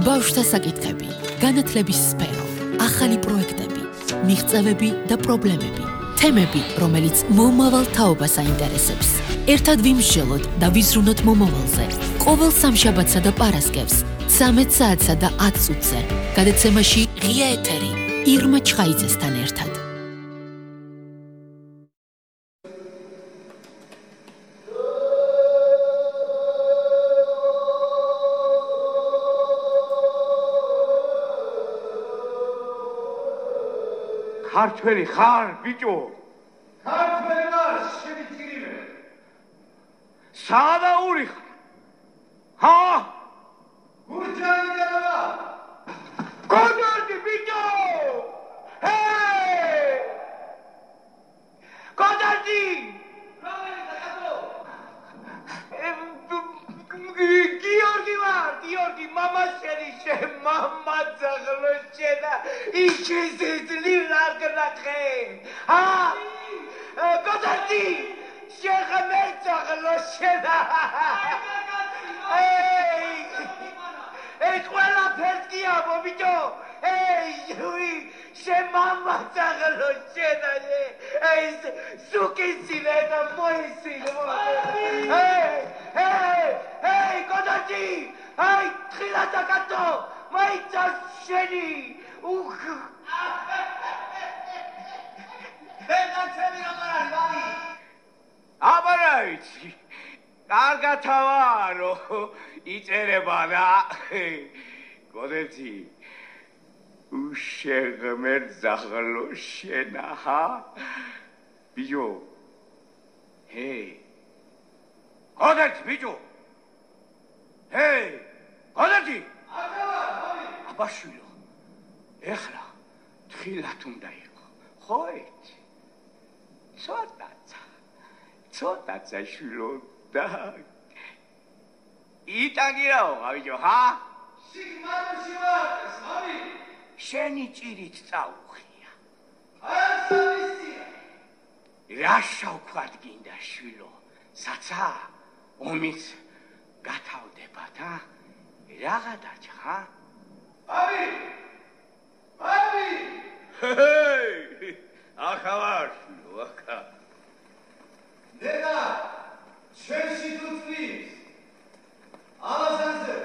ბავშვთა საკითხები, განათლების სფერო, ახალი პროექტები, მიღწევები და პრობლემები, თემები, რომელიც მომავალ თაობას აინტერესებს. ერთად ვიმსჯელოთ და ვიზრუნოთ მომავალზე. ყოველ სამშაბათსა და პარასკევს, 13 საათსა და 10 წუთზე. გადაცემაში ღია ეთერი, ირმა ჩხაიძესთან ერთად. ქართველი ხარ, ბიჭო? ქართველი ვარ, შევიწირიმე. სადაური ხარ? ჰა? გურჯაანიდან ვარ. გოდარდი, ბიჭო! ჰეი! გოდარდი! გიორგი ვარ, გიორგი, მამა შენიშე, მამა ძაღლოშენა, იჩიზიზლი რაგნახე. ჰა? გოდარდი! შეხმე ძაღლოშენა. Ei, ყველა ფერკია, ბიჭო. Ei, ჟუი, შემამა ძაღლოშენა. Ei, სუკისილე და მოისილე. Ei, გოდარდი! Ai, თხილა და კატო! მაიცა შენი! უხ! ბედაცები როგორ არის, ბაბი? აბარა ვიცი. კარგად ვარო, იწერება და გოდერდი. უშეღმერ ძაღლოშენა, ჰა? ბიჭო. ჰეი. გოდერდი, ბიჭო. ჰეი, გოდარდი! აბა, აბაშვილო, ეხლა თხილად უნდა იყო, ხო იცი? ცოტაცა შვილო და იტაგირაო, ბიჭო, ჰა? სიგმარში ვარ, სამი. შენი ჭირით წაუხია. არ სამისია. რა შავქვად გინდა შვილო, საცა, ომიც გათავდებათ, ა? რაღა დაჭა, ხა? ბაბი! ბაბი! ჰეი! ახა ვარ, ახა. დედა, ჩვენში თუთმის. ალაზანზე.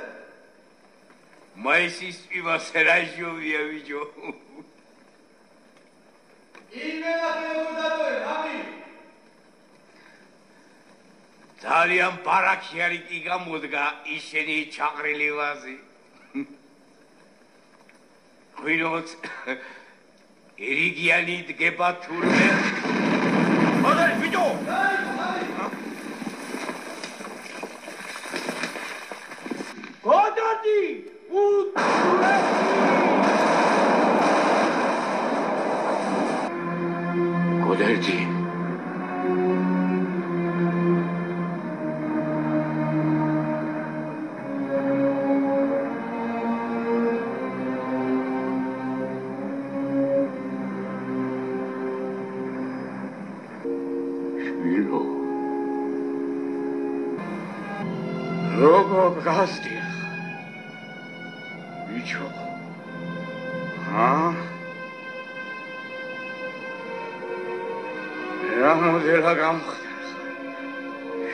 მაისის პივასე რა ჟოვია, ბიჭო. იმენა ფეგუდადოე, ბაბი! ძალიან ბარაქი არის კი გამოდგა ისინი ჩაყრილი ვაზი. ვინოც ერიგიანი დგება თურმე. ოდარი, ბიჭო! გოდარდი! გოდარდი! როგორ გასდიხ, ბიჭო, ჰა? რა მოდელა გამხდარ,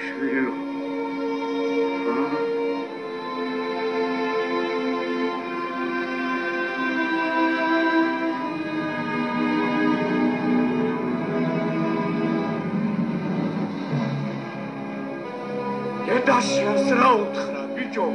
შვილო, ჰა? დედაშიას რა უთხრა, ბიჭო?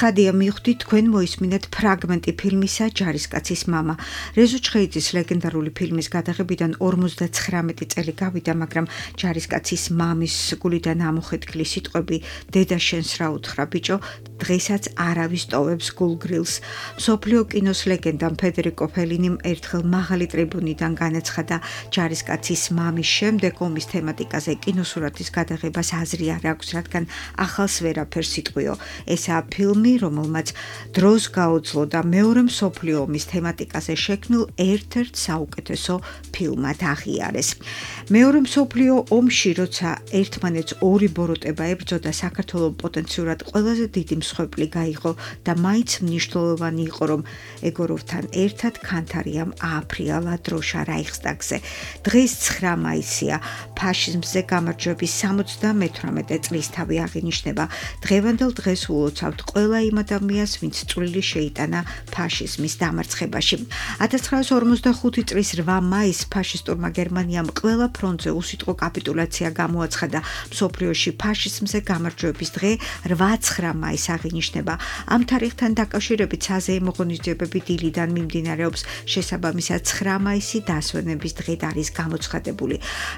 ცხადია მივხვდით თქვენ მოისმინეთ ფრაგმენტი ფილმისა ჯარისკაცის მამა. რეზო ჩხეიძის ლეგენდარული ფილმის გადაღებიდან 59 წელი გავიდა, მაგრამ ჯარისკაცის მამის გულიდან ამოხეთქილი სიტყვები დედა შენს რა უთხრა ბიჭო, დღესაც არავის ტოვებს გულგრილს. მსოფლიო კინოს ლეგენდამ ფედერიკო ფელინიმ ერთხელ მაღალი ტრიბუნიდან განაცხადა ჯარისკაცის მამის შემდეგ ომის თემატიკაზე კინოსურათის გადაღებას აზრი არ აქვს, რადგან ახალს ვერაფერს იტყვიო. ესაა ფილმი, რომელმაც დროს გაუძლო და მეორე მსოფლიო ომის თემატიკაზე შექმნილ ერთ-ერთ საუკეთესო ფილმად აღიარეს. მეორე მსოფლიო ომში, როცა ერთმანეთს ორი ბოროტება ებრძოდა, საქართველოს პოტენციურად ყველაზე დიდი მსხვერპლი გაიღო და მაინც მნიშვნელოვანი იყო, რომ ეგოროვთან ერთად ქანთარიამ ააფრიალა დროშა რაიხსტაგზე. დღეს 9 მაისია, ფაშიზმზე გამარჯვების 78 წლისთავი აღინიშნება. დღევანდელ დღეს ულოცავთ ყველა იმ ადამიანს, ვინც წვლილი შეიტანა ფაშიზმის დამარცხებაში. 1945 წლის 8 მაისს ფაშისტურმა გერმანიამ ყველა ფრონტზე უსიტყვო კაპიტულაცია გამოაცხადა. მსოფლიოში ფაშიზმზე გამარჯვების დღე 8-9 მაისს აღინიშნება. ამ თარიღთან დაკავშირებით საზეიმო ღონისძიებები დილიდან მიმდინარეობს. შესაბამისად 9 მაისი დასვენების დღედ არის გამოცხადებული.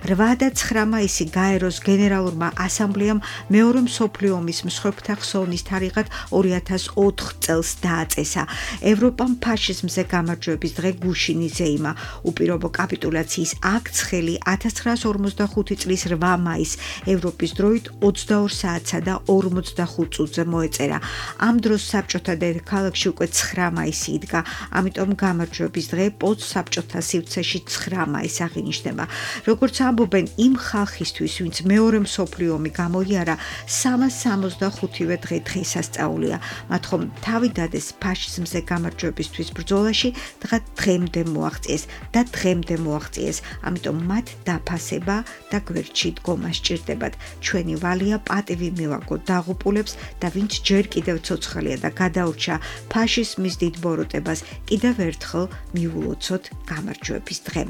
8 და 9 მაისი გაეროს გენერალურმა ასამბლეამ მეორე მსოფლიო ომის მსხვერპლთა ხსოვნის თარიღად 2004 წელს დააწესა. ევროპამ ფაშიზმზე გამარჯვების დღე გუშინ იზეიმა. უპირობო კაპიტულაციის აქტს ხელი 1945 წლის 8 მაისს ევროპის დროით 22 საათსა და 45 წუთზე მოეწერა. ამ დროს საბჭოთა დედაქალაქში უკვე 9 მაისი იდგა, ამიტომ გამარჯვების დღე პოსტსაბჭოთა სივრცეში 9 მაისს აღინიშნება. როგორც ამბობენ, იმ ხალხისთვის, ვინც მეორე მსოფლიო ომი გამოიარა, 365-ვე დღე დღესასწაულია. მათ ხომ თავი დადეს ფაშიზმზე გამარჯვებისთვის ბრძოლაში, დღემდე მოაღწიეს, ამიტომ მათ დაფასება და გვერდში დგომა სჭირდებათ. ჩვენი ვალია პატივი მივაგოთ დაღუპულებს და ვინც ჯერ კიდევ ცოცხალია და გადაურჩა ფაშიზმის დიდ ბოროტებას, კიდევ ერთხელ მიულოცოთ გამარჯვების დღე.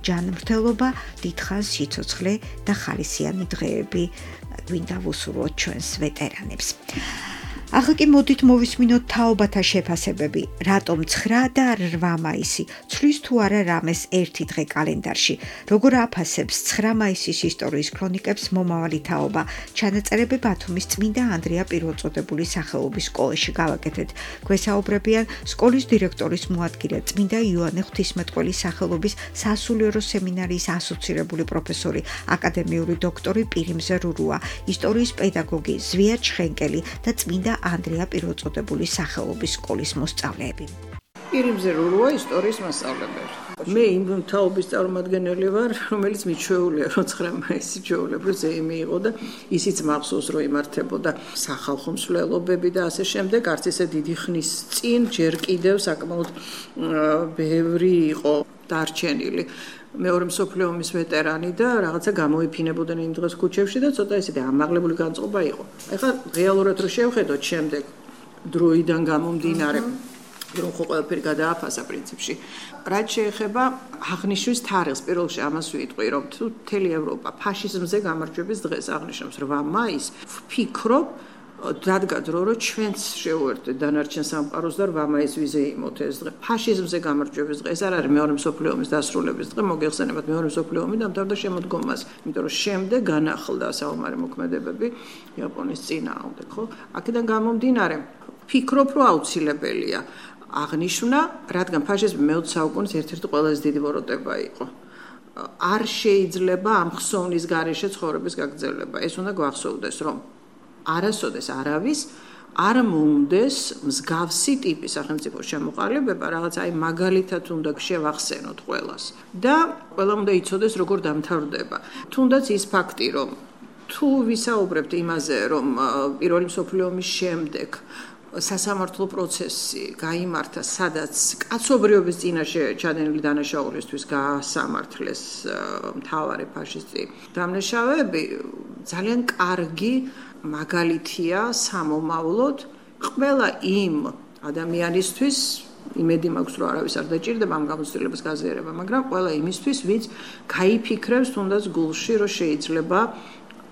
ჯანმრთელობა, დიდხანს სიცოცხლე და ხალისიანი დღეები გვინდა ვუსურვოთ ჩვენს ვეტერანებს. ახლა კი მოდით მოვისმინოთ თაობათა შეფასებები. რატომ 9 და 8 მაისი? ცვლის თუ არა რამეს ერთი დღე კალენდარში? როგორ აფასებს 9 მაისის ისტორიის ქრონიკებს მომავალი თაობა? ჩანაწერები ბათუმის წმინდა ანდრია პირველწოდებულის სახელობის სკოლაში გავაკეთეთ. გვესაუბრებიან სკოლის დირექტორის მოადგილე წმინდა იოანე ღვთისმეტყველის სახელობის სასულიერო სემინარიის ასოცირებული პროფესორი, აკადემიური დოქტორი პირიმზე რურუა, ისტორიის პედაგოგი ზვია ჩხენკელი და წმინდა ანდრია პირველწოდებულის სახელობის სკოლის მოსწავლეები. პირიმზე რურუა ისტორიის მასწავლებელი. მე იმ თაობის წარმომადგენელი ვარ, რომელიც მიჩვეულია, რომ 9 მაისი ჩვეულებრივ ზეიმი იყო და ისიც მახსოვს, რომ იმართებოდა სახალხო მსვლელობები და ასე შემდეგ. არც ესე დიდი ხნის წინ ჯერ კიდევ საკმაოდ ბევრი იყო დარჩენილი მეორე მსოფლიო ომის ვეტერანი და რაღაცა გამოიფინებოდნენ იმ დღეს ქუჩებში და ცოტა ისეთი ამაღლებული განწყობა იყო. ეხლა რეალურად რო შევხედოთ შემდეგ დროიდან გამომდინარე, რომ ხო ყველაფერი გადააფასა პრინციპში. რაც შეეხება აღნიშვნის თარიღს, პირველ რიგში ამას ვიტყვი, რომ თუ მთელი ევროპა ფაშიზმზე გამარჯვების დღეს აღნიშნავს 8 მაისს, ვფიქრობ, დადგა დრო, რომ ჩვენც შევუერთდეთ დანარჩენ სამყაროს და 8 მაისს ვიზეიმოთ ეს დღე. ფაშიზმზე გამარჯვების დღე, ეს არ არის მეორე მსოფლიო ომის დასრულების დღე, მოგეხსენებათ მეორე მსოფლიო ომი დამთავრდა შემოდგომას, იმიტომ რომ შემდეგ განახლდა საომარი მოქმედებები იაპონიის წინააღმდეგ, ხო? აქედან გამომდინარე, ვფიქრობ, რომ აუცილებელია აღნიშვნა, რადგან ფაშიზმი მე-20 საუკუნის ერთ-ერთი ყველაზე დიდი ბოროტება იყო. არ შეიძლება ამ ხსოვნის გარეშე ცხოვრების გაგრძელება. ეს უნდა გვახსოვდეს, რომ არასოდეს არავის არ მოუნდეს მსგავსი ტიპის სახელმწიფო შემოყალიბება, რაღაც აი მაგალითად უნდა შევახსენოთ ყველას და ყველამ უნდა იცოდეს როგორ დამთავრდება. თუნდაც ის ფაქტი, რომ თუ ვისაუბრებთ იმაზე, რომ პირველი მსოფლიო ომის შემდეგ სასამართლო პროცესი გაიმართა, სადაც კაცობრიობის წინაშე ჩადენილი დანაშაულისთვის გაასამართლეს მთავარი ფაშისტი დამნაშავეები, ძალიან კარგი მაგალითია სამომავლოდ ყველა იმ ადამიანისთვის, იმედი მაქვს, რომ არავის არ დაჭირდება ამ გამოცდილებას გაზიარება, მაგრამ ყველა იმისთვის, ვინც გაიფიქრებს თუნდაც გულში, რომ შეიძლება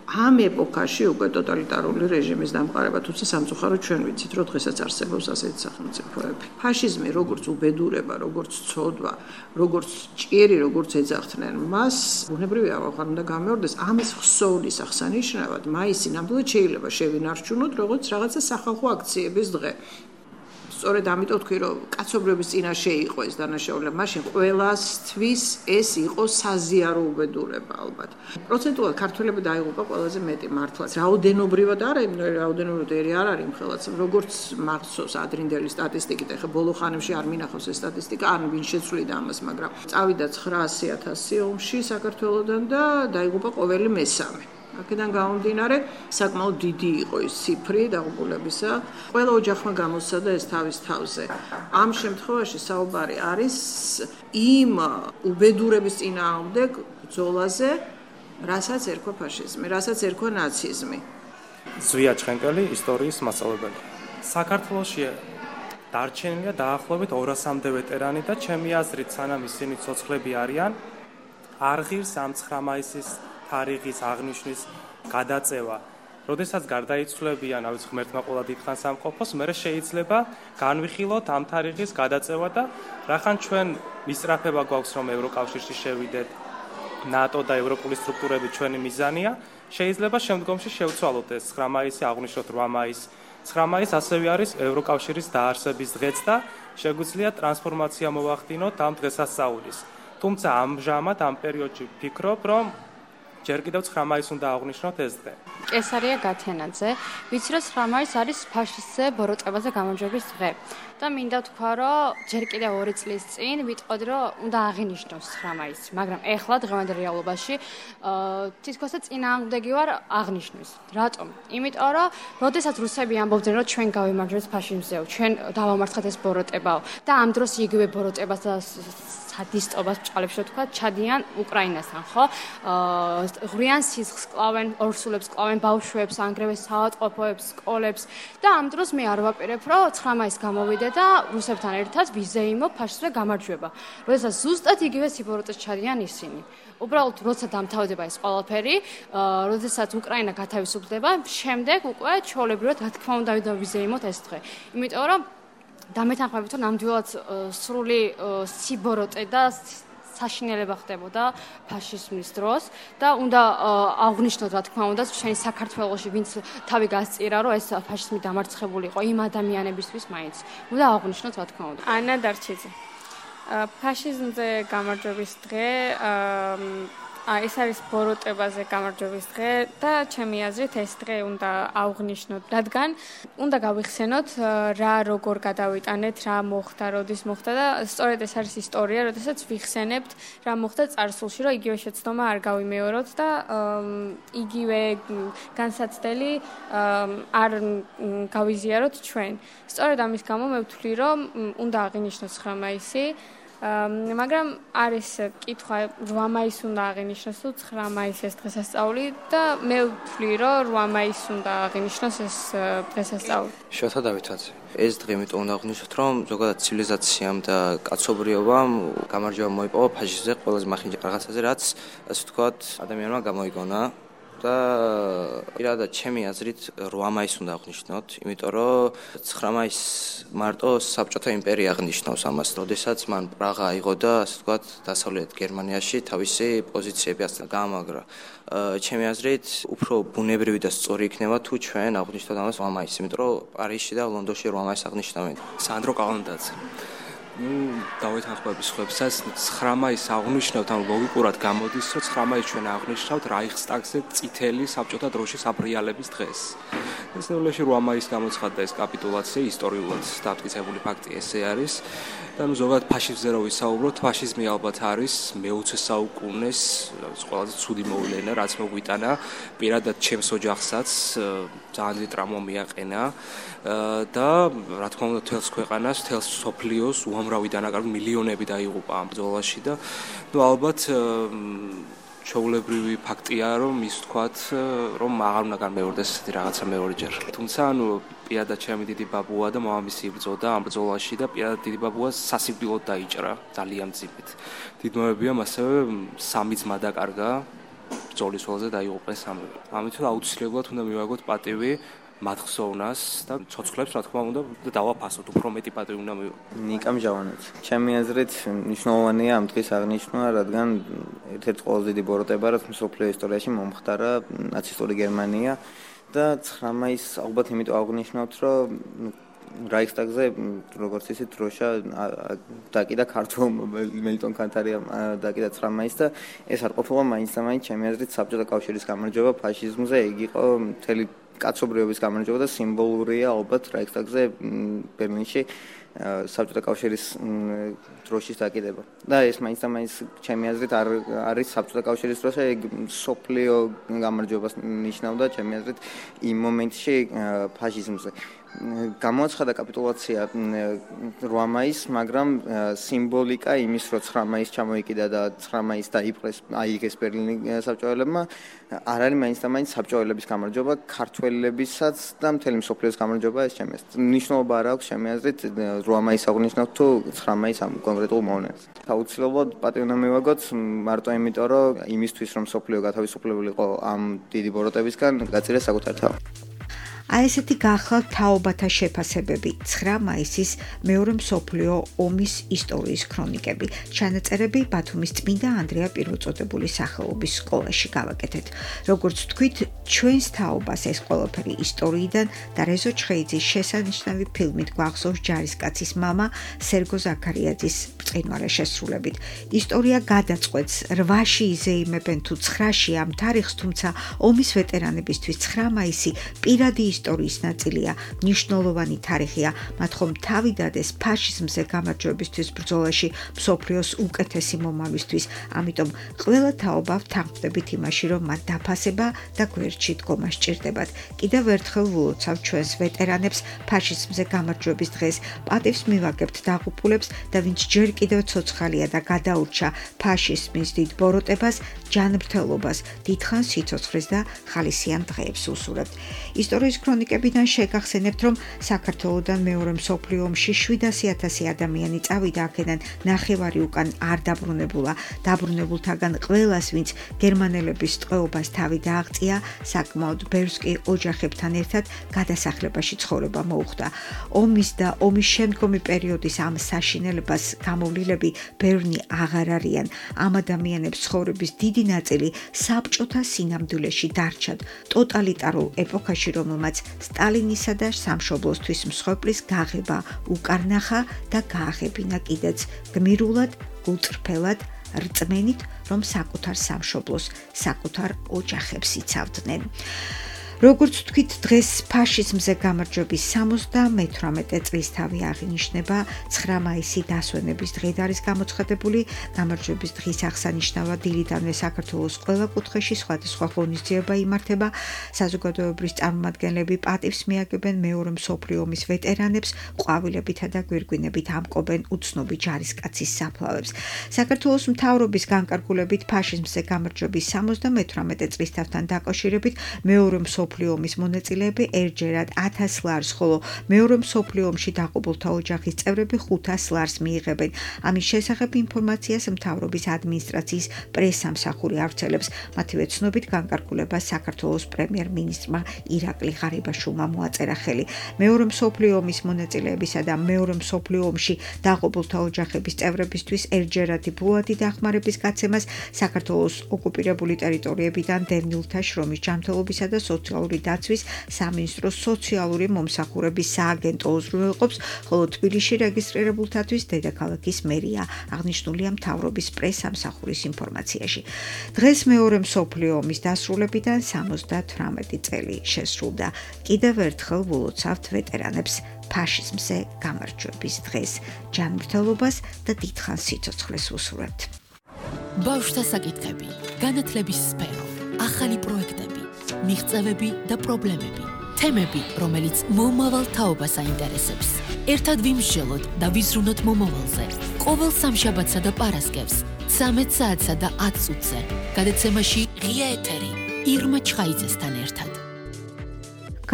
ამ ეპოქაში უკვე ტოტალიტარული რეჟიმის დამყარება, თუმცა სამწუხაროდ ჩვენ ვიცით, რომ დღესაც არსებობს ასეთი სახელმწიფოები. ფაშიზმი როგორც უბედურება, როგორც ცოდვა, როგორც ჭიერი, როგორც ეძახდნენ მას, ბუნებრივია, აღარ უნდა გამეორდეს ამის ხსოვნის აღსანიშნავად, მაისი ნამდვილად შეიძლება შევინარჩუნოთ, როგორც რაღაცა სახალხო აქციების დღე. სწორედ ამიტომ თქვი, რომ კაცობრიობის წინაშე იყო ეს დანაშაულება, მაშინ ყველასთვის ეს იყო საზიარო უბედურება ალბათ. პროცენტულად ქართველები დაიღუპა ყველაზე მეტი მართლაც. რაოდენობრივად არა, რაოდენობრივად არ არის მხოლოდ, როგორც მახსოვს ადრინდელი სტატისტიკით, ეხლა ბოლო ხანებში არ მინახავს ეს სტატისტიკა, არ ვინ შეცვლიდა ამას, მაგრამ წავიდა 900,000 ომში საქართველოსდან და დაიღუპა ყოველი მესამე. აქედან გამომდინარე, საკმაოდ დიდი იყო ის ციფრი დაღუპულებისა. ყველა ოჯახმა გამოსცადა ეს თავის თავზე. ამ შემთხვევაში საუბარი არის იმ უბედურების წინააღმდეგ ბრძოლაზე, რასაც ერქვა ფაშიზმი, რასაც ერქვა ნაციზმი. ზვია ჩხენკელი, ისტორიის მასწავლებელი. საქართველოში დარჩენილია დაახლოებით 200-მდე ვეტერანი და ჩემი აზრით, სანამ ისინი ცოცხლები არიან, არ ღირს ამ 9 მაისის თარიღის აღნიშვნის გადაწევა. როდესაც გარდაიცვლებიან, ავიც ღმერთმა ყველა დიდხანს ამყოფოს, მერე შეიძლება განვიხილოთ ამ თარიღის გადაწევა და რახან ჩვენ მისწრაფება გვაქვს, რომ ევროკავშირში შევიდეთ, ნატო და ევროპული სტრუქტურები ჩვენი მიზანია, შეიძლება შემდგომში შევცვალოთ ეს 9 მაისი, აღნიშნოთ 8 მაისს. 9 მაისი ასევე არის ევროკავშირის დაარსების დღეც და შეგვიძლია ტრანსფორმაცია მოვახდინოთ ამ დღესასწაულის. თუმცა ამჟამად ამ პერიოდში ვფიქრობ, რომ ჯერ კიდევ 9 მაისს უნდა აღნიშნოთ ეს დღე. კესარია გათენაძე, ვიცი რომ 9 მაისი არის ფაშისტზე ბოროტებაზე გამარჯვების დღე. და მინდა თქვა, რომ ჯერ კიდევ 2 წლის წინ ვიტყოდი, რომ უნდა აღინიშნოს 9 მაისი, მაგრამ ეხლა დღევანდელ რეალობაში თითქოსა წინააღმდეგი ვარ აღნიშნვის. რატომ? იმიტომ რომ როდესაც რუსები ამბობდნენ, რომ ჩვენ გავიმარჯვებთ ფაშიზმზეო, ჩვენ დავამარცხეთ ეს ბოროტებაო და ამ დროს იგივე ბოროტებას და სადისტობას ბჭყალებში რო თქვა, ჩადიან უკრაინასთან, ხო? ღვრიან სისხლს კლავენ, ორსულებს კლავენ, ბავშვებს, ანგრევენ საავადმყოფოებს, სკოლებს და ამ დროს მე არ ვაპირებ, რომ 9 მაისს გამოვიდე და რუსებთან ერთად ვიზეიმო ფაშიზმზე გამარჯვება. როდესაც ზუსტად იგივე სიბოროტეს ჩადიან ისინი. უბრალოდ როცა დამთავრდება ეს ყველაფერი, როდესაც უკრაინა გათავისუფლდება, შემდეგ უკვე ჩვეულებრივად რა თქმა უნდა ვიზეიმოთ ეს დღე. იმიტომ რომ დამეთანხმებით, რომ ნამდვილად სრული სიბოროტე და საშინელება ხდებოდა ფაშიზმის დროს და უნდა აღნიშნოთ, რა თქმა უნდა, ჩვენი საქართველოში ვინც თავი გასწირა, რომ ეს ფაშიზმი დამარცხებული იყო იმ ადამიანებისთვის მაინც. უნდა აღნიშნოთ, რა თქმა უნდა. ანა დარჩიძე. ფაშიზმზე გამარჯვების დღე ეს არის ბოროტებაზე გამარჯვების დღე და ჩემი აზრით ეს დღე უნდა აღნიშნოთ, რადგან უნდა გავიხსენოთ რა როგორ გადავიტანეთ, რა მოხდა, როდის მოხდა და სწორედ ეს არის ისტორია, როდესაც ვიხსენებთ რა მოხდა წარსულში, რომ იგივე შეცდომა არ გავიმეოროთ და იგივე განსაცდელი არ გავიზიაროთ ჩვენ. სწორედ ამის გამო მე ვთვლი, რომ უნდა აღინიშნოს 9 მაისი. მაგრამ არის კითხვა 8 მაისს უნდა აღინიშნოს თუ 9 მაისს ეს დღესასწაული და მე ვთვლი რომ 8 მაისს უნდა აღინიშნოს ეს დღესასწაული. შოთა დავითაძე. ეს დღე იმიტომ უნდა აღნიშნოთ, რომ ზოგადად ცივილიზაციამ და კაცობრიობამ გამარჯვება მოიპოვა ფაშიზმზე ყველაზე მახინჯე რაღაცაზე, რაც ასე ვთქვათ, ადამიანმა გამოიგონა. და პირადად ჩემი აზრით 8 მაისს უნდა აღნიშნოთ, იმიტომ რომ 9 მაისს მარტო საბჭოთა იმპერია აღნიშნავს ამას, როდესაც მან პრაღა აიღო და ასე ვთქვათ, დასავლეთ გერმანიაში თავისი პოზიციები ასწავლა გაამაგრა. ჩემი აზრით, უფრო ბუნებრივი და სწორი იქნება თუ ჩვენ აღნიშნოთ ამას 8 მაისს, იმიტომ რომ პარიზში და ლონდონში 8 მაისს აღნიშნავენ. სანდრო კალანდაძე. დავეთანხმების ხლებსაც 9 მაისს აღნიშნავთ, ან ლოგიკურად გამოდის, რომ 9 მაისს ჩვენ აღნიშნავთ რაიხსტაგზე წითელი საბჭოთა დროშის აბრიალების დღეს. ეს ნეულეში 8 მაისს გამოცხადდა ეს კაპიტულაცია, ისტორიულად დამტკიცებული ფაქტი ესე არის. და ზოგადად ფაშიზმზე რო ვისაუბროთ, ფაშიზმი ალბათ არის მე-20 საუკუნეს ყველაზე ცუდი მოვლენა, რაც მოგვიტანა პირადად ჩემს ოჯახსაც ძალიან დიდი ტრამვა მიაყენა და რა თქმა უნდა თელს ქვეყანას, თელს სოფლიოს უამრავი დანაკარგი მილიონები დაიღუპა ამ ბრძოლაში და ალბათ ჩვეულებრივი ფაქტია, რომ ის თქვათ, რომ აღარ უნდა განმეორდეს ესეთი რაღაცა მეორეჯერ. თუმცა, პირადად ჩემი დიდი ბაბუა და მამამისი იბრძოდა ამ ბრძოლაში და პირადად დიდი ბაბუა სასიკვდილოდ დაიჭრა ძალიან მძიმედ. დიდმოებიამ ასევე 3 ძმა დაკარგა ბრძოლის ველზე დაიღუპეს სამივე. ამიტომ აუცილებლად უნდა მივაგოთ პატივი მათ ხსოვნას და ცოცხლებს რა თქმა უნდა დავაფასოთ, უფრო მეტი პატივი უნდა მივაგოთ. ნიკამ ჟავანაც. ჩემი აზრით მნიშვნელოვანია ამ დღის აღნიშვნა, რადგან ერთ-ერთი ყველაზე დიდი ბოროტება, რაც მსოფლიო ისტორიაში მომხდარა ნაცისტური გერმანია და 9 მაისს ალბათ იმიტომ აღნიშნავთ, რომ რაიხსტაგზე როგორც ისე დროშა დაკიდა ქართულ მელიტონ კანთარიამ დაკიდა 9 მაისს და ეს არ ყოფილა მაინც და მაინც ჩემი აზრით საბჭოთა კავშირის გამარჯვება ფაშიზმზე, ეგ იყო მთელი კაცობრიობის გამარჯვება და სიმბოლურია ალბათ რაიხსტაგზე ბერლინში საბჭოთა კავშირის დროშის დაკიდება. და ეს მაინც და მაინც ჩემი აზრით არ არის საბჭოთა კავშირის დროშა, ეგ სოფლიო გამარჯვებას ნიშნავდა ჩემი აზრით იმ მომენტში ფაშიზმზე. გამოაცხადა კაპიტულაცია 8 მაისს, მაგრამ სიმბოლიკა იმის, რომ 9 მაისს ჩამოიკიდა და 9 მაისს დაიპყრეს აიღეს ბერლინის საბჭოელებმა, არ არის მაინც და მაინც საბჭოელების გამარჯვება, ქართველებისაც და მთელი მსოფლიოს გამარჯვება ეს ჩემი აზრით. მნიშვნელობა არ აქვს ჩემი აზრით 8 მაისს აღნიშნავთ თუ 9 მაისს ამ კონკრეტულ მომენტს. აუცილებლად პატივი უნდა მივაგოთ მარტო იმიტომ, რომ იმისთვის რომ მსოფლიო გათავისუფლებულიყო ამ დიდი ბოროტებისგან, გაწირეს საკუთარ თავი. აი ესეთი გახლავთ თაობათა შეფასებები 9 მაისის მეორე მსოფლიო ომის ისტორიის ქრონიკები. ჩანაწერები ბათუმის წმინდა ანდრია პირველწოდებულის სახელობის სკოლაში გავაკეთეთ. როგორც თქვით, ჩვენს თაობას ეს ყველაფერი ისტორიიდან და რეზო ჩხეიძის შესანიშნავი ფილმით გვახსოვს ჯარისკაცის მამა სერგო ზაქარიაძის ბრწყინვალე შესრულებით. ისტორია გადაწყვეტს 8-ში იზეიმებენ თუ 9-ში ამ თარიღს, თუმცა ომის ვეტერანებისთვის 9 მაისი პირადი ისტორიის ნაწილია, მნიშვნელოვანი თარიღია, მათ ხომ თავი დადეს ფაშიზმზე გამარჯვებისთვის ბრძოლაში მსოფლიოს უკეთესი მომავლისთვის. ამიტომ ყველა თაობა ვთანხმდებით იმაში, რომ მათ დაფასება და გვერდში დგომა სჭირდებათ. კიდევ ერთხელ ვულოცავ ჩვენს ვეტერანებს ფაშიზმზე გამარჯვების დღეს. პატივს მივაგებთ დაღუპულებს და ვინც ჯერ კიდევ ცოცხალია და გადაურჩა ფაშიზმის დიდ ბოროტებას, ჯანმრთელობას, დიდხანს სიცოცხლეს და ხალისიან დღეებს უსურვებთ. ისტორიის ქრონიკებიდან შეგახსენებთ, რომ საქართველოსთან მეორე მსოფლიო ომში 700,000 ადამიანი წავიდა, აქედან ნახევარი უკან არ დაბრუნებულა. დაბრუნებულთაგან ყველას, ვინც გერმანელების ტყვეობას თავი დააღწია, საკმაოდ ბევრს კი ოჯახებთან ერთად გადასახლებაში ცხოვრება მოუხდა. ომის და ომის შემდგომი პერიოდის ამ საშინელებას გამოვლილები ბევრნი აღარ არიან. ამ ადამიანებს ცხოვრების დიდი ნაწილი საბჭოთა სინამდვილეში დარჩათ. ტოტალიტარულ ეპოქაში, რომელმაც სტალინისა და სამშობლოსთვის მსხვერპლის გაღება უკარნახა და გააღებინა კიდეც გმირულად, გულწრფელად, რწმენით, რომ საკუთარ სამშობლოს, საკუთარ ოჯახებს იცავდნენ. როგორც თქვით, დღეს ფაშიზმზე გამარჯვების 78 წლისთავი აღინიშნება. 9 მაისი დასვენების დღედ არის გამოცხადებული. გამარჯვების დღის აღსანიშნავად დილიდანვე საქართველოს ყველა კუთხეში სხვადასხვა ღონისძიება იმართება. საზოგადოებრივი წარმომადგენლები პატივს მიაგებენ მეორე მსოფლიო ომის ვეტერანებს, ყვავილებითა და გვირგვინებით ამკობენ უცნობი ჯარისკაცის საფლავებს. საქართველოს მთავრობის განკარგულებით ფაშიზმზე გამარჯვების 78 წლისთავთან დაკავშირებით მეორე მსოფლიო ომის მონაწილეები ერთჯერად 1000 ლარს, ხოლო მეორე მსოფლიო ომში დაღუპულთა ოჯახის წევრები 500 ლარს მიიღებენ. ამის შესახებ ინფორმაციას მთავრობის ადმინისტრაციის პრესსამსახური ავრცელებს. მათივე ცნობით განკარგულებას საქართველოს პრემიერ-მინისტრმა ირაკლი ღარიბაშვილმა მოაწერა ხელი. მეორე მსოფლიო ომის მონაწილეებისა და მეორე მსოფლიო ომში დაღუპულთა ოჯახების წევრებისთვის ერთჯერადი ბულათი დახმარების გაცემას საქართველოს ოკუპირებული ტერიტორიებიდან დევნილთა შრომის ჯანმრთელობისა და სოციალური დაცვის სამინისტროს სოციალური მომსახურების სააგენტო უზრუნველყოფს, ხოლო თბილისში რეგისტრირებულთათვის დედაქალაქის მერია, აღნიშნულია მთავრობის პრესსამსახურის ინფორმაციაში. დღეს მეორე მსოფლიო ომის დასრულებიდან 78 წელი შესრულდა. კიდევ ერთხელ ვულოცავთ ვეტერანებს ფაშიზმზე გამარჯვების დღეს. ჯანმრთელობას და დიდხანს სიცოცხლეს უსურვებთ. ბავშვთა საკითხები, განათლების სფერო, ახალი პროექტები, მიღწევები და პრობლემები, თემები, რომელიც მომავალ თაობას აინტერესებს. ერთად ვიმსჯელოთ და ვიზრუნოთ მომავალზე. ყოველ სამშაბათსა და პარასკევს 13 საათსა და 10 წუთზე. გადაცემაში ღია ეთერი ირმა ჩხაიძესთან ერთად.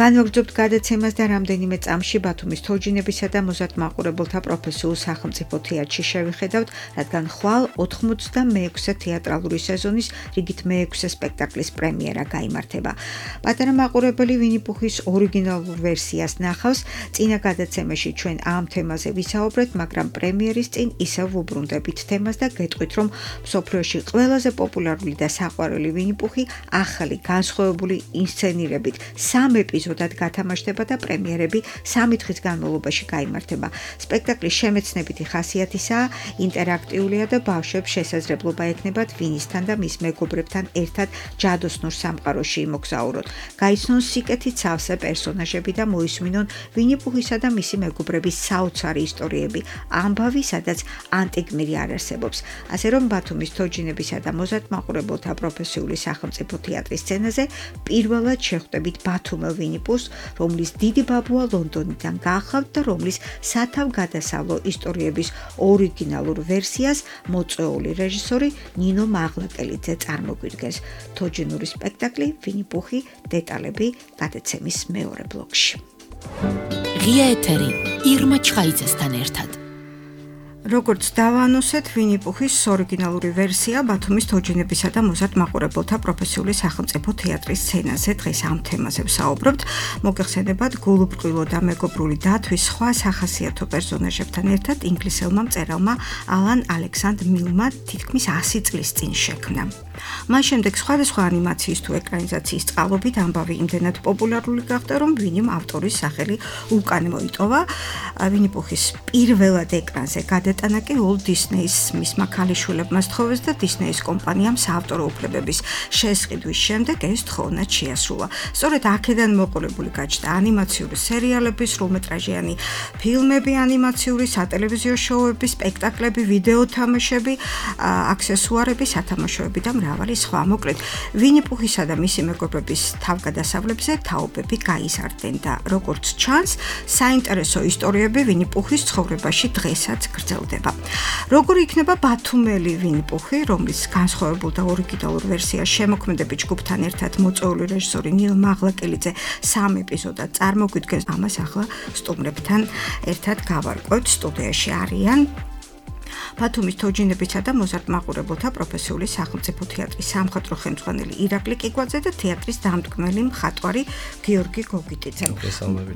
განვაგრძობთ გადაცემას და რამდენიმე წამში ბათუმის თოჯინებისა და მოზარდ მაყურებელთა პროფესიულ სახელმწიფო თეატრში შევიხედავთ, რადგან ხვალ 86-ე თეატრალური სეზონის რიგით მე-6 სპექტაკლის პრემიერა გაიმართება. პატარა მაყურებელი ვინი-პუხის ორიგინალურ ვერსიას ნახავს. წინა გადაცემაში ჩვენ ამ თემაზე ვისაუბრეთ, მაგრამ პრემიერის წინ ისევ ვუბრუნდებით თემას და გეტყვით, რომ მსოფლიოში ყველაზე პოპულარული და საყვარელი ვინი-პუხი ახალი განსხვავებული ინსცენირებით 3 ეპიზოდად გათამაშდება და პრემიერები 3 დღის განმავლობაში გაიმართება. სპექტაკლის შემეცნებითი ხასიათისაა, ინტერაქტიულია და ბავშვებს შესაძლებლობა ექნებათ ვინისთან და მის მეგობრებთან ერთად ჯადოსნურ სამყაროში იმოგზაუროთ. გაიცნონ სიკეთით სავსე პერსონაჟები და მოისმინონ ვინი-პუხისა და მისი მეგობრების საოცარი ისტორიები, ამბავი, სადაც ანტიგმირი არ არსებობს. ასე რომ ბათუმის თოჯინებისა და მოზარდ მაყურებელთა პროფესიული სახელმწიფო თეატრის სცენაზე პირველად შეხვდებით ბათუმელ ვინი-პუხს, რომლის დიდი ბაბუა ლონდონიდან გაახავთ და რომლის სათავგადასავლო ისტორიების ორიგინალურ ვერსიას მოწვეული რეჟისორი ნინო მაღლაკელიძე წარმოგვიდგენს. თოჯინური სპექტაკლი ვინი-პუხი, დეტალები გადაცემის მეორე ბლოკში. ღია ეთერი ირმა ჩხაიძესთან ერთად. როგორც დავანუსეთ, ვინი-პუხის ორიგინალური ვერსია ბათუმის თოჯინებისა და მოზარდ მაყურებელთა პროფესიული სახელმწიფო თეატრის სცენაზე დღეს ამ თემაზე ვსაუბრობთ. მოგეხსენებათ, გულუბრყვილო და მეგობრული დათვის სხვა სახასიათო პერსონაჟებთან ერთად ინგლისელმა მწერალმა ალან ალექსანდრ მილმა თითქმის 100 წლის წინ შექმნა. მას შემდეგ სხვადასხვა ანიმაციის თუ ეკრანიზაციის წყალობით ამბავი იმდენად პოპულარული გახდა, რომ ვინიმ ავტორის სახელი უკან მოიტოვა. ვინი-პუხის პირველად ეკრანზე გადატანა კი Walt Disney-ის მისმა ქალიშვილებმა სთხოვეს და Disney-ის კომპანიამ საავტორო უფლებების შესყიდვის შემდეგ ეს თხოვნა შეასრულა. სწორედ აქედან მოყოლებული გაჩნდა ანიმაციური სერიალები, სრულმეტრაჟიანი ფილმები, ანიმაციური სატელევიზიო შოუები, სპექტაკლები, ვიდეო თამაშები, აქსესუარები, სათამაშოები და მრავალი სხვა. მოკლედ, ვინი-პუხისა და მისი მეგობრების თავგადასავლებზე თაობები გაიზარდნენ და როგორც ჩანს, საინტერესო ისტორიები ვინი-პუხის ცხოვრებაში დღესაც გრძელდება. როგორი იქნება ბათუმელი ვინი-პუხი, რომლის განსხვავებულ და ორიგინალურ ვერსიას შემოქმედებით ჯგუფთან ერთად მოწვეული რეჟისორი ნინო მაღლაკელიძე 3 ეპიზოდად წარმოგვიდგენს, ამას ახლა სტუმრებთან ერთად გავარკვევთ. სტუდიაში არიან ბათუმის თოჯინებისა და მოზარდ მაყურებელთა პროფესიული სახელმწიფო თეატრის სამხატვრო ხელმძღვანელი ირაკლი კიკვაძე და თეატრის დამდგმელი მხატვარი გიორგი გოგიტიძე.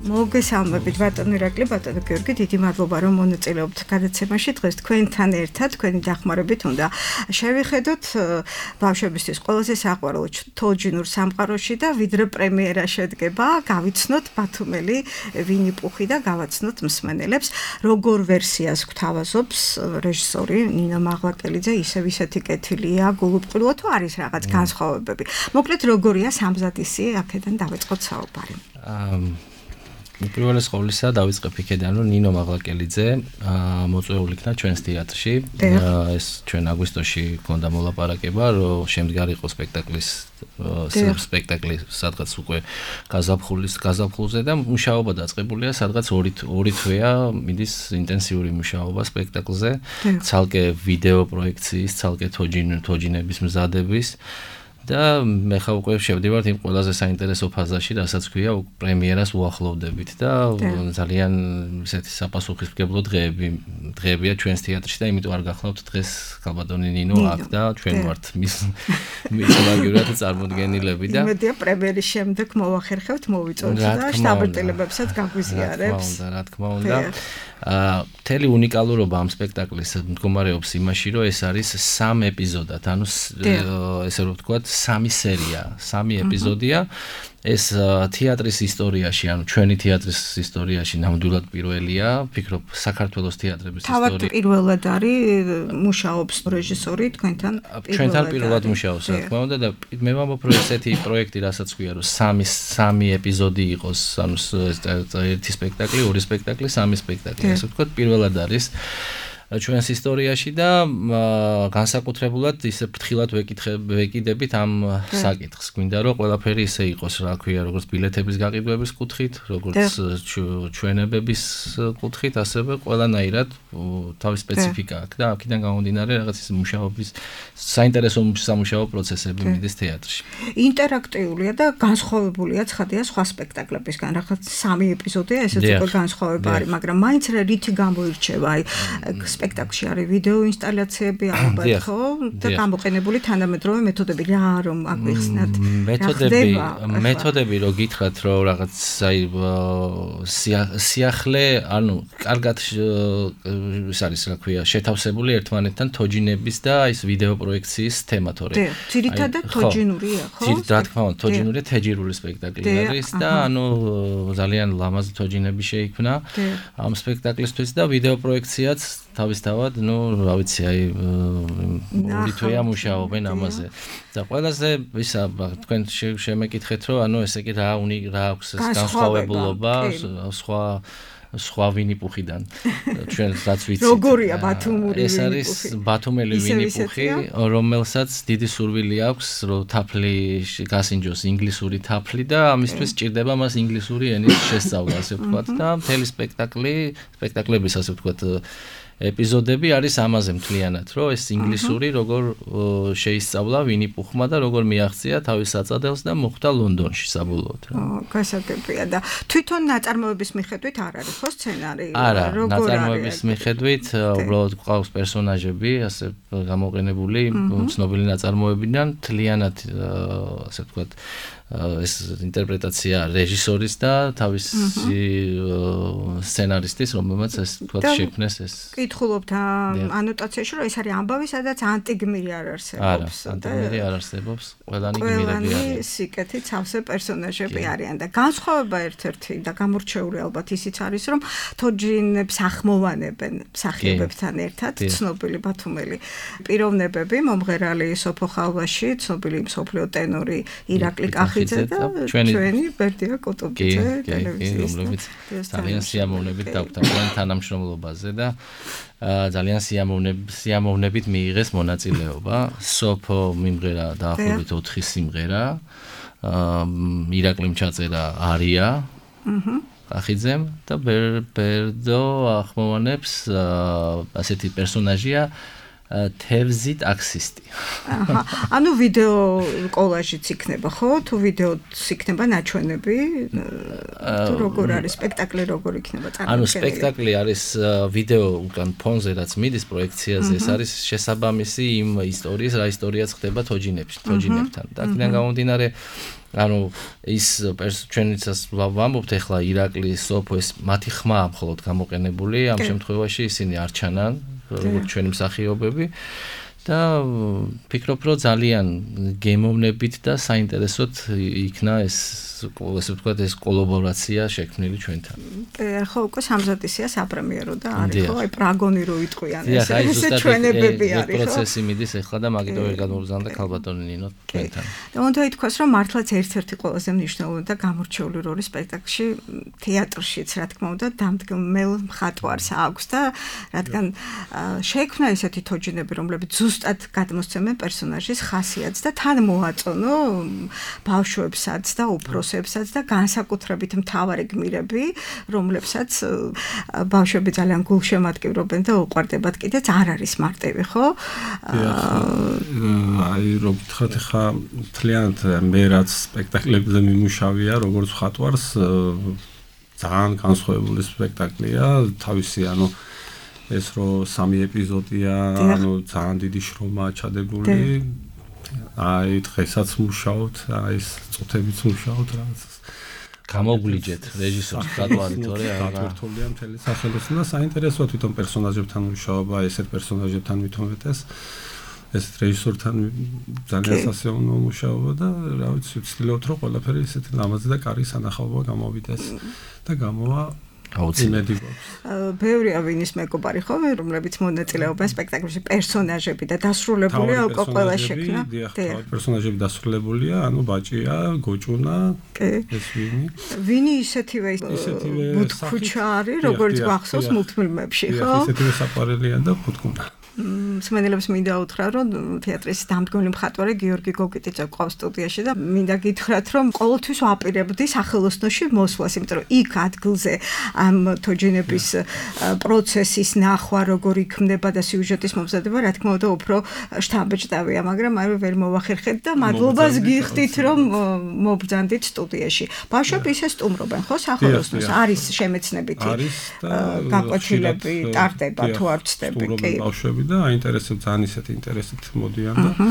მოგესალმებით ბატონო ირაკლი, ბატონო გიორგი, დიდი მადლობა რომ მონაწილეობთ გადაცემაში. დღეს თქვენთან ერთად, თქვენი დახმარებით უნდა შევიხედოთ ბავშვებისთვის ყველაზე საყვარელ თოჯინურ სამყაროში და ვიდრე პრემიერა შედგება, გავიცნოთ ბათუმელი ვინი-პუხი და გავაცნოთ მსმენელებს, როგორ ვერსიას გვთავაზობს რეჟისორი ნინო მაღლაკელიძე, ისევ ისეთი კეთილია, გულუბრყვილო თუ არის რაღაც განსხვავებები. მოკლედ როგორია სამზადისი, აქედან დავიწყოთ საუბარი. პირველეს ყოვლისა დავიწყებ იქედან, რომ ნინო მაღლაკელიძე მოწვეული იქნა ჩვენს თეატრში. ეს ჩვენ აგვისტოში გქონდა მოლაპარაკება, რომ შემდგარი იყო სპექტაკლი სადღაც უკვე გაზაფხულზე და მუშაობა დაწყებულია, სადღაც 2 თვეა მიდის ინტენსიური მუშაობა სპექტაკლზე, ცალკე ვიდეო პროექციის, ცალკე თოჯინების მზადების. და მე ხა უკვე შევდივართ იმ ყველაზე საინტერესო ფაზაში, რასაც ქვია პრემიერას უახლოვდებით და ძალიან ისეთი საპასუხისმგებლო დღეებია ჩვენს თეატრში და იმიტომ არ გახლავთ დღეს ქალბატონი ნინო აქ და ჩვენ ვართ მის მაგივრად წარმოდგენილები და იმედია პრემიერის შემდეგ მოვახერხებთ, მოვიწოდოთ და შტაბ-ტელებებსაც გაგვიზიარებს. რა თქმა უნდა. მთელი უნიკალურობა ამ სპექტაკლის მდგომარეობს იმაში, რომ ეს არის 3 ეპიზოდად, ანუ ესე რომ ვთქვათ 3 სერია, 3 ეპიზოდია. ეს თეატრის ისტორიაში, ანუ ჩვენი თეატრის ისტორიაში ნამდვილად პირველია, ვფიქრობ, საქართველოს თეატრების ისტორიაში. თავად პირველად არის მუშაობს რეჟისორი თქვენთან პირველად. ჩვენთან პირველად მუშაობს, რა თქმა უნდა და მე ვამბობ, რომ ესეთი პროექტი, რასაც ქვია, რომ 3 ეპიზოდი იყოს, ანუ ერთი სპექტაკლი, 2 სპექტაკლი, 3 სპექტაკლი, ესე ვთქვათ, პირველად არის. ჩვენს ისტორიაში და განსაკუთრებულად ისე ფრთხილად ვეკიდებით ამ საკითხს. გვინდა რომ ყველაფერი ისე იყოს, რა ქვია, როგორც ბილეთების გაყიდვების კუთხით, როგორც ჩვენებების კუთხით, ასევე ყველანაირად თავის სპეციფიკა აქვს და აქედან გამომდინარე რაღაც ის მუშაობის საინტერესო სამუშაო პროცესები მიდის თეატრში. ინტერაქტიულია და განსხვავებულია ცხადია სხვა სპექტაკლებისგან, რაღაც 3 ეპიზოდია, ესეც უკვე განსხვავება არის, მაგრამ მაინც რითი გამოირჩევა, აი სპექტაკლში არის ვიდეო ინსტალაციები ალბათ, ხო? და გამოყენებული თანამედროვე მეთოდები რა რომ აგვიხსნათ. მეთოდები რო გითხრათ, რომ რაღაც აი სიახლე, ანუ კარგად ის არის რა ქვია, შეთავსებული ერთმანეთთან თოჯინების და ის ვიდეო პროექციის თემა თორე. ძირითადად თოჯინურია, ხო? რა თქმა უნდა, თოჯინური თეჯირული სპექტაკლი არის და ანუ ძალიან ლამაზი თოჯინები შეიქმნა ამ სპექტაკლისთვის და ვიდეო პროექციაც თავისთავად, ну, რა ვიცი, აი ორი თვეა მუშაობენ ამაზე. და ყველაზე ისა თქვენ შემეკითხეთ, რომ ანუ ესე იგი რა აქვს ეს განსხვავებულობა სხვა ვინიპუხიდან ჩვენ რაც ვიცით. როგორია ბათუმური ვინიპუხი? ეს არის ბათუმელი ვინიპუხი, რომელსაც დიდი სურვილი აქვს, რომ თაფლი გასინჯოს ინგლისური თაფლი და ამისთვის სჭირდება მას ინგლისური ენის შესწავლა, ასე ვთქვათ და მთელი სპექტაკლების ასე ვთქვათ ეპიზოდები არის ამაზე მთლიანად, რომ ეს ინგლისური როგორ შეისწავლა ვინიპუხმა და როგორ მიაღწია თავის საწადელს და მოხვდა ლონდონში საბოლოოდ. გასაგებია და თვითონ ნაწარმოების მიხედვით არ არის ხო სცენარი? არა, ნაწარმოების მიხედვით უბრალოდ გვყავს პერსონაჟები, ასე გამოყენებული ცნობილი ნაწარმოებიდან, მთლიანად ასე ვთქვათ ეს ინტერპრეტაცია რეჟისორის და თავის სცენარისტის, რომელმაც ეს თქვათ შექმნეს ეს. კითხულობთ ანოტაციაში, რომ ეს არის ამბავი, სადაც ანტიგმირი არ არსებობს. არა, ანტიგმირი არ არსებობს, ყველანი გმირები არიან. ყველანი სიკეთით სავსე პერსონაჟები არიან და განსხვავება ერთ-ერთი და გამორჩეული ალბათ ისიც არის, რომ თოჯინებს ახმოვანებენ მსახიობებთან ერთად ცნობილი ბათუმელი პიროვნებები, მომღერალი სოფო ხალვაში, ცნობილი მსოფლიო ტენორი ირაკლი კახიძე და ჩვენი ბერდია კოტობიძე ტელევიზიის, რომლებიც ძალიან სიამოვნებით დაგვთან ჩვენ თანამშრომლობაზე და ძალიან სიამოვნებით მიიღეს მონაწილეობა. სოფო მიმღერა დაახლოებით 4 სიმღერა, ირაკლიმ ჩაწერა არია კახიძემ და ბერდო ახმოვანებს ასეთი პერსონაჟია თევზი ტაქსისტი. ანუ ვიდეო კოლაჟიც იქნება, ხო? თუ ვიდეოც იქნება ნაჩვენები, თუ როგორ არის სპექტაკლი, როგორ იქნება წარმოქმნილი? ანუ სპექტაკლი არის ვიდეო უკან ფონზე, რაც მიდის პროექციაზე, ეს არის შესაბამისი იმ ისტორიის, რა ისტორიაც ხდება თოჯინებთან. და აქედან გამომდინარე ანუ ის ჩვენიცას ვამბობთ ახლა ირაკლი სოფო ეს მათი ხმა მხოლოდ გამოყენებული, ამ შემთხვევაში ისინი არ ჩანან როგორც ჩვენი მსახიობები და ფიქრობ რომ ძალიან გემოვნებით და საინტერესოდ იქნა ეს ასე ვთქვათ ეს კოლაბორაცია შექმნილი ჩვენთან. ხო, უკვე სამზადისია საპრემიერო და არის ხო, აი პრაგონი რო იტყვიან ეს ჩვენებები არის ხო? პროცესი მიდის ახლა და მაგით ვერ გადმოვზანდა ქალბატონი ნინო ჩვენთან. და უნდა ითქვას რომ მართლაც ერთ-ერთი ყველაზე მნიშვნელოვანი და გამორჩეული როლი სპექტაკლში თეატრშიც რა თქმა უნდა დამდგმელ მხატვარს აქვს და რადგან შექმნა ესეთი თოჯინები რომლებიც ზუსტად გადმოსცემენ პერსონაჟის ხასიათს და თან მოაწონო ბავშვებსაც და უფროსებსაც და განსაკუთრებით მთავარი გმირები, რომლებსაც ბავშვები ძალიან გულშემატკივრობენ და უყვარდებათ კიდეც არ არის მარტივი, ხო? აი რომ გითხრათ ხა მთლიანად მე რაც სპექტაკლებზე მიმუშავია, როგორც მხატვარს ძალიან განსხვავებული სპექტაკლია, თავისი ანუ ეს რო 3 ეპიზოდია, ანუ ძალიან დიდი შრომაა ჩადებული. აი დღესაც მუშაობთ, აი ეს წუთებიც მუშაობთ რაღაც. გამოგვლიჯეთ რეჟისორს გადვარი თორე არა. გათვირთულია მთელი სახელოსნო და საინტერესოა თვითონ პერსონაჟებთან მუშაობა, ესეთ პერსონაჟებთან მithometes. ეს რეჟისორთან ძალიან სასიამოვნო მუშაობა და რა ვიცი, ვცდილობთ რომ ყველაფერი ესეთი ლამაზი და კარგი სანახაობა გამოვიდეს და გამოვა აუცილებლად. ბევრია ვინის მეგობარი ხო, რომლებიც მონაწილეობენ სპექტაკლში, პერსონაჟები და დასრულებულია უკვე ყველა შექმნა. პერსონაჟები დასრულებულია, ანუ ბაჭია, გოჭუნა, ეს ვინი. ვინი ისეთივე ბუთქუჩა არის, როგორც გახსოვს მულტფილმებში, ხო? ისეთივე საყვარელია და ბუთქუნა. მსმენელებს მინდა უთხრა, რომ თეატრის დამდგმელი მხატვარი გიორგი გოგიტიძე ყავს სტუდიაში და მინდა გითხრათ, რომ ყოველთვის ვაპირებდი სახელოსნოში მოსვლას, იმიტომ რომ იქ ადგილზე ამ თოჯინების პროცესის ნახვა, როგორ იქმნება და სიუჟეტის მომზადება, რა თქმა უნდა, უფრო შთამბეჭდავია, მაგრამ აი ვერ მოვახერხეთ და მადლობას გიხდით, რომ მობრძანდით სტუდიაში. ბავშვები ისე სტუმრობენ, ხო, სახელოსნოს? არის შემეცნებითი გაკვეთილები, ტარდება თუ არ ვცდები, კი. და აინტერესებს ძალიან ისეთი ინტერესით მოდიან და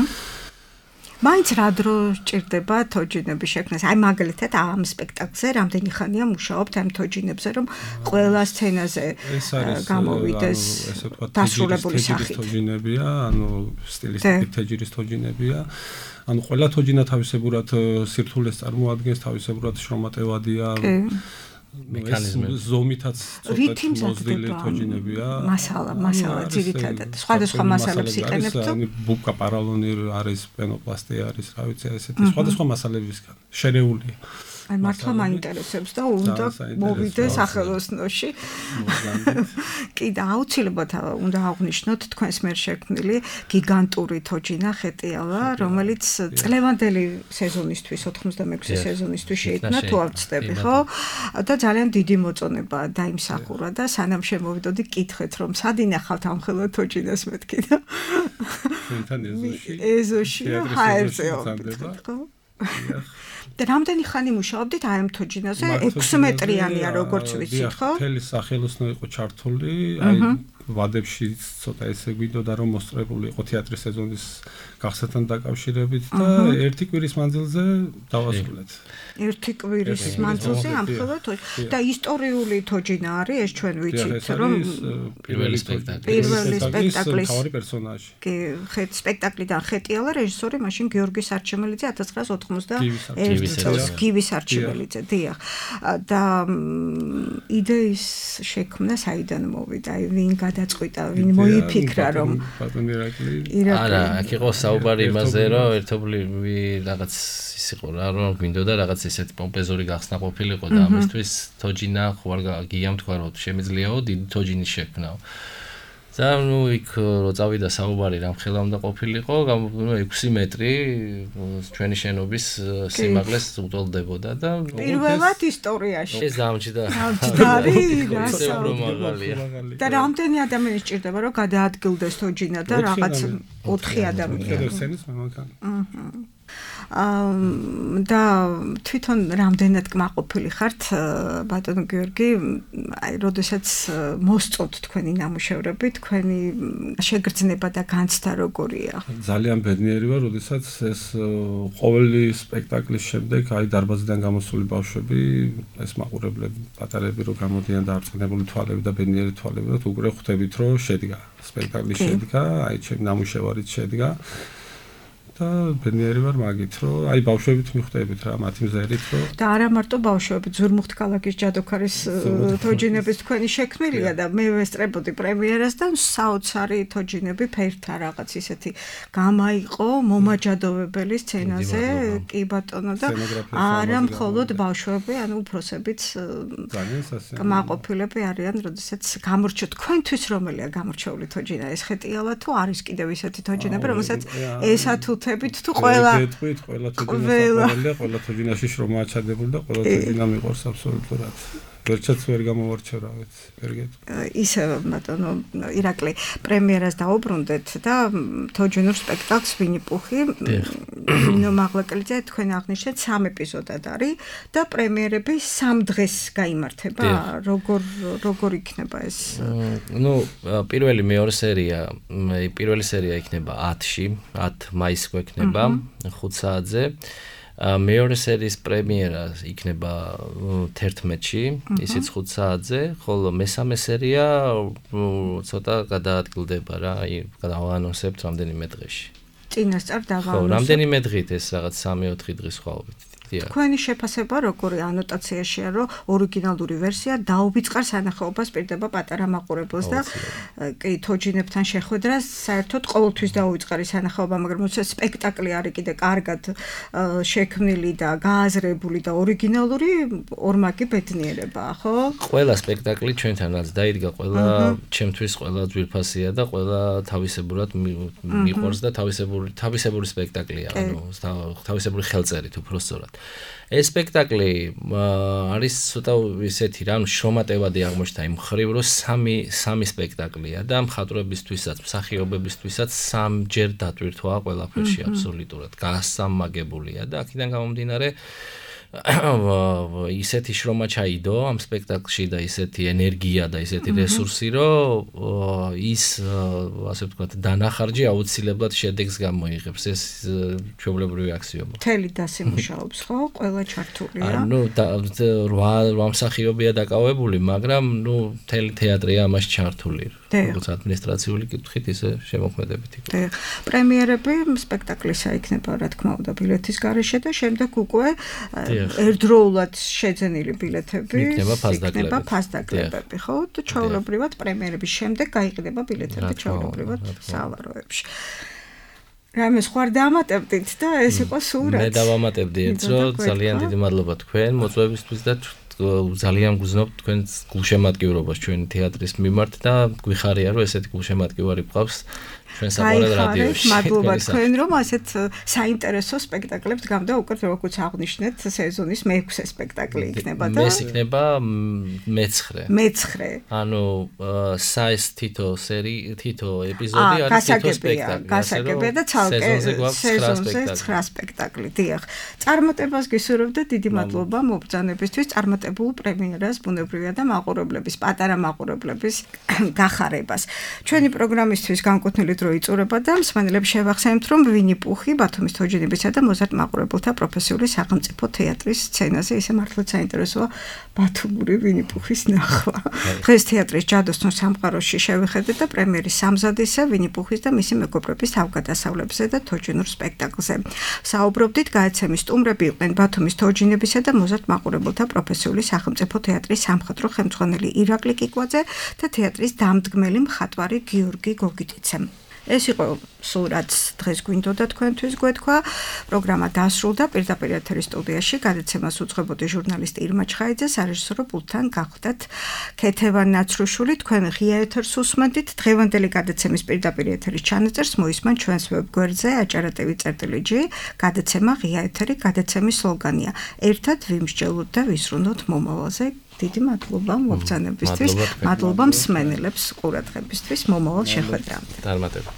მაინც რა დრო სჭირდება თოჯინების შექმნას? აი მაგალითად ამ სპექტაკლზე რამდენი ხანია მუშაობთ ამ თოჯინებზე, რომ ყველა სცენაზე გამოვიდეს დასრულებული სახით? თოჯინებია, ანუ სტილისტიკით თეჯირის თოჯინებია. ანუ ყველა თოჯინა თავისებურად სირთულეს წარმოადგენს, თავისებურად შრომატევადია. მექანიზმები ზომითაც ცოტა მოზრდილი თოჯინებია. მასალა ძირითადად სხვადასხვა მასალებს იყენებთ. ანუ ბუკა პარალონი არის, პენოპლასტი არის, რა ვიცი, ესეთი სხვადასხვა მასალებისგან შერეულია. აი მართლა მაინტერესებს და უნდა მოვიდე სახელოსნოში. კი და აუცილებლად უნდა აღვნიშნოთ თქვენს მიერ შექმნილი გიგანტური თოჯინა ხეტიალა, რომელიც წლევანდელი სეზონისთვის 86 სეზონისთვის შეიქმნა, თუ არ ვცდები, ხო? და ძალიან დიდი მოწონება დაიმსახურა და სანამ შემოვიდოდი კითხეთ, რომ სად ინახავთ ამ ხელა თოჯინას მეთქი და ეზოში ჰაერზე ხო? და რამდენი ხანი მუშაობდით აი ამ თოჯინაზე? 6 მეტრიანია როგორც ვიცით, ხო? მთელი სახელოსნო იყო ჩართული, აი ვადებში ცოტა ესე გვინდოდა რომ მოსწრებული იყო თეატრის სეზონის გახსნასთან დაკავშირებით და ერთი კვირის მანძილზე დავასრულეთ. ერთი კვირის მანძილზე ამ ხელა თოჯინა და ისტორიული თოჯინა არის, ეს ჩვენ ვიცით, რომ პირველი სპექტაკლის თავი პერსონაჟი. კი, სპექტაკლიდან ხეტიალა რეჟისორი მაშინ გიორგი სარჩემელიძე 1991 წელს გივის არჩიმელიძე, დიახ. და იდეის შექმნა საიდან მოვიდა? აი ვინ გადაწყვიტა, ვინ მოიფიქრა რომ არა, აქ იყო საუბარი იმაზე, რომ ერთობლივი რაღაც ის იყო რა, რომ გვინდოდა რაღაც ესეთი პომპეზური გახსნა ყოფილიყო და ამისთვის თოჯინა ხო არ გიამ თქვა რომ შემიძლიაო დიდი თოჯინის შექმნაო. და ნუ იქ რო წავიდა საუბარი რამ ხელა უნდა ყოფილიყო, 6 მეტრი ჩვენი შენობის სიმაღლეს უტოლდებოდა და პირველად ისტორიაში ეს გამჭდა. და რამდენი ადამიანი სჭირდება რომ გადაადგილდეს თოჯინა და რაღაც 4 ადამიანი. და თვითონ რამდენად კმაყოფილი ხართ ბატონო გიორგი, აი როდესაც მოსწონთ თქვენი ნამუშევრები, თქვენი შეგრძნება და განცდა როგორია? ძალიან ბედნიერი ვარ, როდესაც ეს ყოველი სპექტაკლის შემდეგ აი დარბაზიდან გამოსული ბავშვები, ეს მაყურებლები, პატარები რო გამოდიან და არწმუნებული თვალები და ბედნიერი თვალები, რომ უკვე ხვდებით რომ შედგა სპექტაკლის შედგა, აი ჩემი ნამუშევარიც შედგა. და ბედნიერი ვარ მაგით, რომ აი ბავშვებით მიხვდებით რა, მათი მზერით რომ და არა მარტო ბავშვები, ძვირმუხტ ქალაქის ჯადოქარის თოჯინების თქვენი შექმნილია და მე ვესწრებოდი პრემიერას და საოცარი თოჯინები ფერთა რაღაც ისეთი გამაიყო მომაჯადოვებელი სცენაზე, კი ბატონო და არა მხოლოდ ბავშვები, ანუ უფროსებიც კმაყოფილები არიან, როდესაც გამორჩა თქვენთვის რომელია გამორჩეული თოჯინა, ეს ხეტიალა თუ არის კიდევ ისეთი თოჯინები, რომელსაც ესა თუ თუ ყველა თოჯინაში შრომაა ჩადებული და ყველა თოჯინა მიყვარს აბსოლუტურად. ვერჩაც ვერ გამოვარჩევრავეთ, ვერ გეტყვი. ისე ბატონო ირაკლი, პრემიერას დაუბრუნდეთ და თოჯინურ სპექტაკლს ვინი-პუხი, ნინო მაღლაკელიძე თქვენ აღნიშნეთ 3 ეპიზოდად არის და პრემიერები 3 დღეს გაიმართება. როგორ იქნება ეს? ნუ პირველი სერია იქნება 10-ში, 10 მაისს გვექნება 5 საათზე. მეორე სერიის პრემიერა იქნება 11-ში, ისიც 5 საათზე, ხოლო მესამე სერია ცოტა გადაადგილდება რა, გავანონსებთ რამდენიმე დღეში. წინასწარ დავანონსებთ. ხო, რამდენიმე დღით ეს რაღაც 3-4 დღის ხვალობით. თქვენი შეფასება როგორი ანოტაციაშია, რომ ორიგინალური ვერსია დაუბიწყარ სანახაობას პირდება პატარა მაყურებელს და კი თოჯინებთან შეხვედრას საერთოდ ყოველთვის დაუვიწყარი სანახაობა, მაგრამ უცებ სპექტაკლი არის კიდე კარგად შექმნილი და გააზრებული და ორიგინალური ორმაგი ბედნიერებაა, ხო? ყველა სპექტაკლი ჩვენთანაც დაიდგა, ყველა ჩემთვის ყველა ძვირფასია და ყველა თავისებურად მიყვარს და თავისებური სპექტაკლია, ანუ თავისებური ხელწერით უბრალოდ. ეს სპექტაკლი არის ცოტა ისეთი რა, შრომატევადი აღმოჩნდა იმ მხრივ, რომ სამი სპექტაკლია და მხატვრებისთვისაც, მსახიობებისთვისაც სამჯერ დატვირთვა ყველაფერში აბსოლუტურად. გასამაგებულია და აქედან გამომდინარე ისეთი შრომა ჩაიდო ამ სპექტაკლში და ისეთი ენერგია და ისეთი რესურსი, რომ ის ასე ვთქვათ, დანახარჯი აუცილებლად შედეგს გამოიღებს. ეს ჩვეულებრივი აქსიომაა. მთელი დასი მუშაობს, ხო? ყველა ჩართულია. ანუ 8 მსახიობია დაკავებული, მაგრამ მთელი თეატრია ამაში ჩართული. როგორც ადმინისტრაციული კითხვით, ისე შემოქმედებითი. პრემიერები სპექტაკლისა იქნება, რა თქმა უნდა, ბილეთის გარეშე და შემდეგ უკვე ერთდროულად შეძენილი ბილეთები იქნება ფასდაკლებები, ხო? და ჩვეულებრივად პრემიერების შემდეგ გაიყიდება ბილეთები ჩვეულებრივად სალაროებში. რამე სხვა დამატებდით და ეს იყო სურათი. მე დავამატებდი ერთს, რომ ძალიან დიდი მადლობა თქვენ მოწვევისთვის და ძალიან გძნობთ თქვენს გულშემატკივრობას ჩვენი თეატრის მიმართ და გვიხარია, რომ ესეთი გულშემატკივარი გვყავს ჩვენ საყურად რადიოში. მადლობა თქვენ, რომ ასეთ საინტერესო სპექტაკლებთ გამდა უკვე როგორც აღნიშნეთ, სეზონის მე-6 სპექტაკლი იქნება და ეს იქნება მე-9. ანუ საეს თითო ეპიზოდი არის თითო სპექტაკლი. გასაგებია და ცალკე სეზონზე 9 სპექტაკლი. დიახ. წარმატებას გისურვებთ და დიდი მადლობა მობრძანებისთვის. წარმატებულ პრემიერას ბუნებრივია და მაყურებლების, პატარა მაყურებლების გახარებას. ჩვენი პროგრამისთვის განკუთვნილი იწურება და მსმენელებს შევახსენებთ, რომ ვინი პუხი ბათუმის თოჯინებისა და მოზარდ მაყურებელთა პროფესიული სახელმწიფო თეატრის სცენაზე ისე მართლაც საინტერესოა ბათუმური ვინი პუხის ნახვა. დღეს თეატრის ჯადოსნურ სამყაროში შევხედეთ და პრემიერის სამზადისა ვინი პუხის და მისი მეგობრების თავგადასავლებზე და თოჯინურ სპექტაკლზე. საუბრობდით, გააცემის სტუმრები იყვნენ ბათუმის თოჯინებისა და მოზარდ მაყურებელთა პროფესიული სახელმწიფო თეატრის სამხატვრო ხელმძღვანელი ირაკლი კიკვაძე და თეატრის დამდგმელი მხატვარი გიორგი გოგიტიცე. ეს იყო სურათს დღეს გვინდოდა თქვენთვის გვეთქვა. პროგრამა დასრულდა. პირდაპირ ეთერის სტუდიაში გადაცემას უძღვებოდი ჟურნალისტი ირმა ჩხაიძე, სარეჟისორო პულტთან გახდათ ქეთევან ნაცრუშვილი. თქვენ ღია ეთერს უსმენთ. დღევანდელი გადაცემის პირდაპირ ეთერის ჩანაწერს მოისმენთ ჩვენს ვებგვერდზე acara.tv/g. გადაცემა ღია ეთერი, გადაცემის სლოგანია: ერთად ვიმსჯელოთ და ვისრუნოთ მომავალზე. დიდი მადლობა მობრძანებისთვის, მადლობა მსმენელებს ყურადღებისთვის, მომავალ შეხვედრამდე. წარმატება.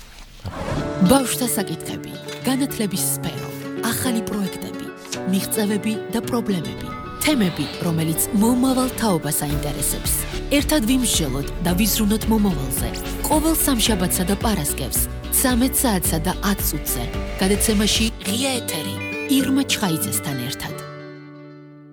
ბავშვთა საკითხები, განათლების სფერო, ახალი პროექტები, მიღწევები და პრობლემები, თემები, რომელიც მომავალ თაობას აინტერესებს. ერთად ვიმსჯელოთ და ვიზრუნოთ მომავალზე. ყოველ სამშაბათსა და პარასკევს 13 საათსა და 10 წუთზე. გადაცემაში ღია ეთერი ირმა ჩხაიძესთან ერთად.